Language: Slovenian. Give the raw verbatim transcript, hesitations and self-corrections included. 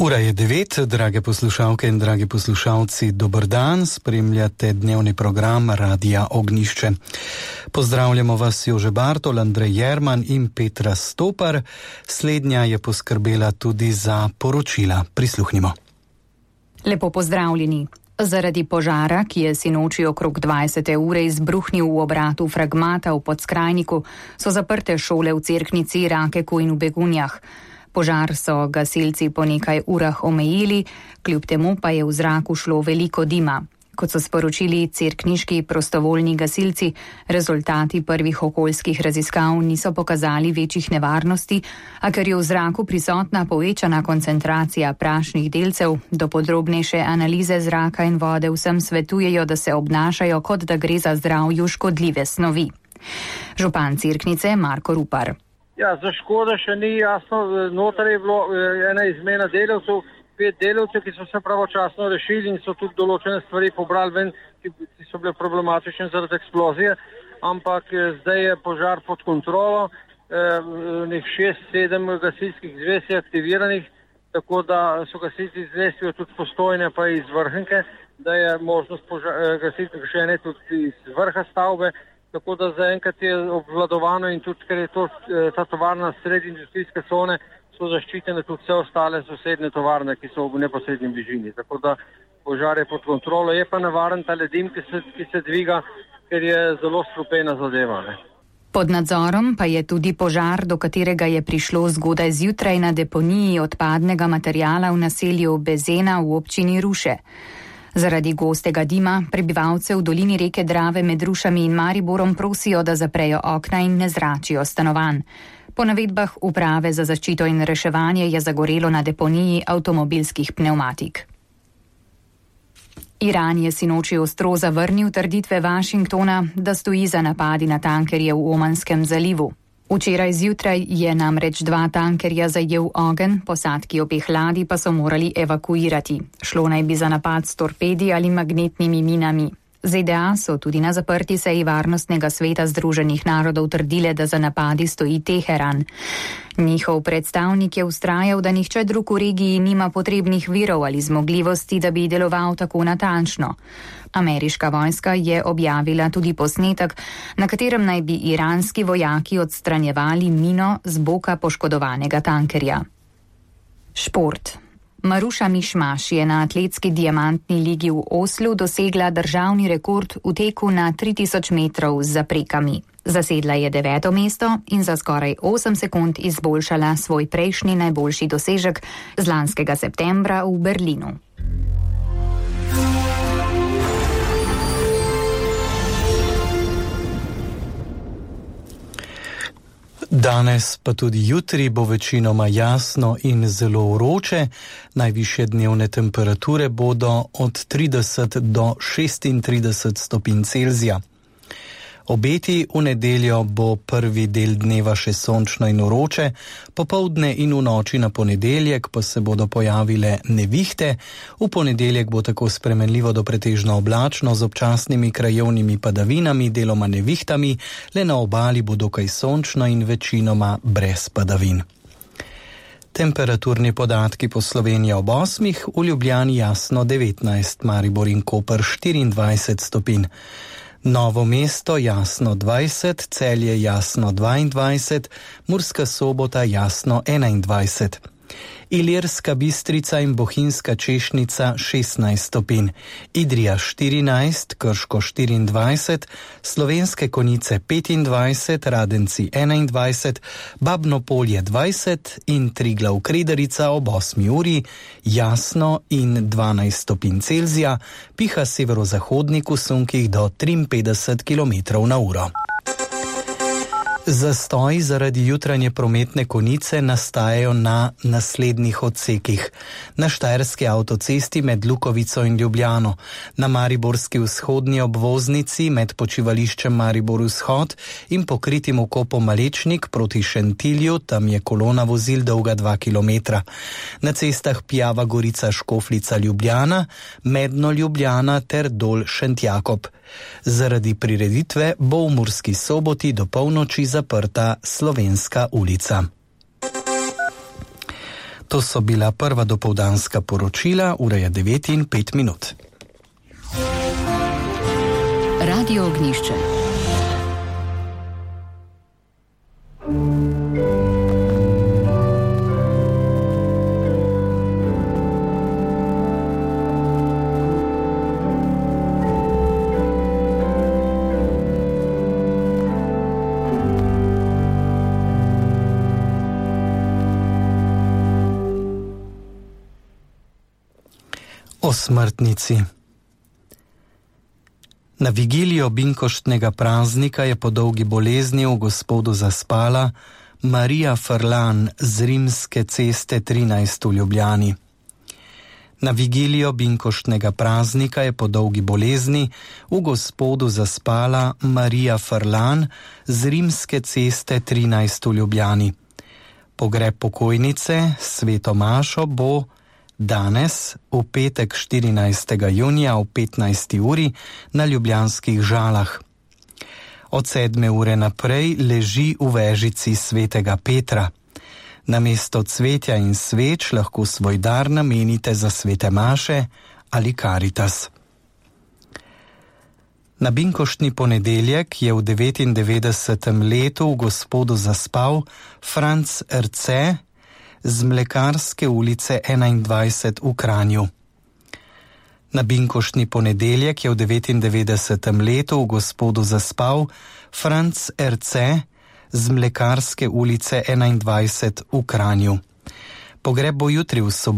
Ura je devet, drage poslušalke in dragi poslušalci, dober dan, spremljate dnevni program Radia Ognjišče. Pozdravljamo vas Jože Bartol, Andrej Jerman in Petra Stopar. Slednja je poskrbela tudi za poročila. Prisluhnimo. Lepo pozdravljeni. Zaradi požara, ki je sinoči okrog dvajsete ure izbruhnil v obratu Fragmata v Podskrajniku, so zaprte šole v Cerknici, Rakeku in v Begunjah. Požar so gasilci po nekaj urah omejili, kljub temu pa je v zraku šlo veliko dima. Kot so sporočili cerkniški prostovoljni gasilci, rezultati prvih okoljskih raziskav niso pokazali večjih nevarnosti, a ker je v zraku prisotna povečana koncentracija prašnih delcev, do podrobnejše analize zraka in vode vsem svetujejo, da se obnašajo, kot da gre za zdravju škodljive snovi. Župan Cerknice Marko Rupar. Ja, za škoda še ni jasno, noter je bilo ena izmena delavcev, pet delavcev, ki so se pravočasno rešili in so tudi določene stvari pobrali ven, ki so bile problematične zaradi eksplozije, ampak zdaj je požar pod kontrolo, nek šest, sedem gasilskih zvez je aktiviranih, tako da so gasilci zvestijo tudi Postojne pa iz Vrhnike, da je možnost gasilcev gašenja tudi iz vrha stavbe. Tako da zaenkrat je obvladovano in tudi, ker je to, ta tovarna sredi industrijske cone, so zaščitene tudi vse ostale sosedne tovarne, ki so v neposrednji bližini. Tako da požar je pod kontrolo, je pa nevaren ta ledim, ki se, ki se dviga, ker je zelo strupena zadeva. Ne. Pod nadzorom pa je tudi požar, do katerega je prišlo zgodaj zjutraj na deponiji odpadnega materiala v naselju Bezena v občini Ruše. Zaradi gostega dima prebivalce v dolini reke Drave med Rušami in Mariborom prosijo, da zaprejo okna in ne zračijo stanovanj. Po navedbah uprave za zaščito in reševanje je zagorelo na deponiji avtomobilskih pnevmatik. Iran je sinoči ostro zavrnil trditve Washingtona, da stoji za napadi na tankerje v Omanskem zalivu. Včeraj zjutraj je namreč dva tankerja zajel ogenj, posadki obeh ladij pa so morali evakuirati. Šlo naj bi za napad s torpedi ali magnetnimi minami. Z D A so tudi na zaprti seji Varnostnega sveta Združenih narodov trdile, da za napadi stoji Teheran. Njihov predstavnik je vztrajal, da nihče drug v regiji nima potrebnih virov ali zmogljivosti, da bi deloval tako natančno. Ameriška vojska je objavila tudi posnetek, na katerem naj bi iranski vojaki odstranjevali mino z boka poškodovanega tankerja. Šport. Maruša Mišmaš je na atletski diamantni ligi v Oslu dosegla državni rekord v teku na tri tisoč metrov z zaprekami. Zasedla je deveto mesto in za skoraj osem sekund izboljšala svoj prejšnji najboljši dosežek z lanskega septembra v Berlinu. Danes pa tudi jutri bo večinoma jasno in zelo vroče. Najvišje dnevne temperature bodo od trideset do šestintrideset stopinj Celzija. Obeti v nedeljo bo prvi del dneva še sončno in vroče, popoldne in v noči na ponedeljek pa se bodo pojavile nevihte. V ponedeljek bo tako spremenljivo do pretežno oblačno z občasnimi krajevnimi padavinami, deloma nevihtami, le na obali bo dokaj sončno in večinoma brez padavin. Temperaturni podatki po Sloveniji ob osmih, v Ljubljani jasno devetnajst, Maribor in Koper štiriindvajset stopinj. Novo mesto jasno dvajset, Celje jasno dvaindvajset, Murska Sobota jasno enaindvajset. Ilirska Bistrica in Bohinjska Češnica šestnajst stopinj, Idrija štirinajst, Krško štiriindvajset, Slovenske Konjice petindvajset, Radenci enaindvajset, Babno Polje dvajset in Triglav Krederica ob osmi uri jasno in dvanajst stopinj Celzija, piha severozahodnik v sunkih do triinpetdeset kilometrov na uro. Zastoji zaradi jutranje prometne konice nastajajo na naslednjih odsekih. Na štajerski avtocesti med Lukovico in Ljubljano, na mariborski vzhodni obvoznici med počivališčem Maribor vzhod in pokritim vkopom Malečnik proti Šentilju, tam je kolona vozil dolga dva kilometra. Na cestah Pijava Gorica Škofljica Ljubljana, Medno Ljubljana ter Dol Šentjakob. Zaradi prireditve bo v Murski Soboti do polnoči zaprta Slovenska ulica. To so bila prva dopoldanska poročila, ura je devet in pet minut. Radio Ognjišče. O smrtnici. Na vigilijo binkoštnega praznika je po dolgi bolezni v Gospodu zaspala Marija Frlan z Rimske ceste trinajst v Ljubljani. Na vigilijo binkoštnega praznika je po dolgi bolezni v Gospodu zaspala Marija Frlan z Rimske ceste trinajst v Ljubljani. Pogreb pokojnice Sveto Mašo bo danes, v petek štirinajstega junija v petnajsti uri na ljubljanskih Žalah. Od sedme ure naprej leži v vežici Svetega Petra. Namesto cvetja in sveč lahko svoj dar namenite za svete maše ali Karitas. Na binkoštni ponedeljek je v devetindevetdesetem letu v Gospodu zaspal Franc Erce z Mlekarske ulice enaindvajset v Kranju. Na binkoštni ponedeljek je v devetindevetdesetem letu v Gospodu zaspal Franc Erce z Mlekarske ulice enaindvajset v Kranju. Pogreb bo jutri v soboto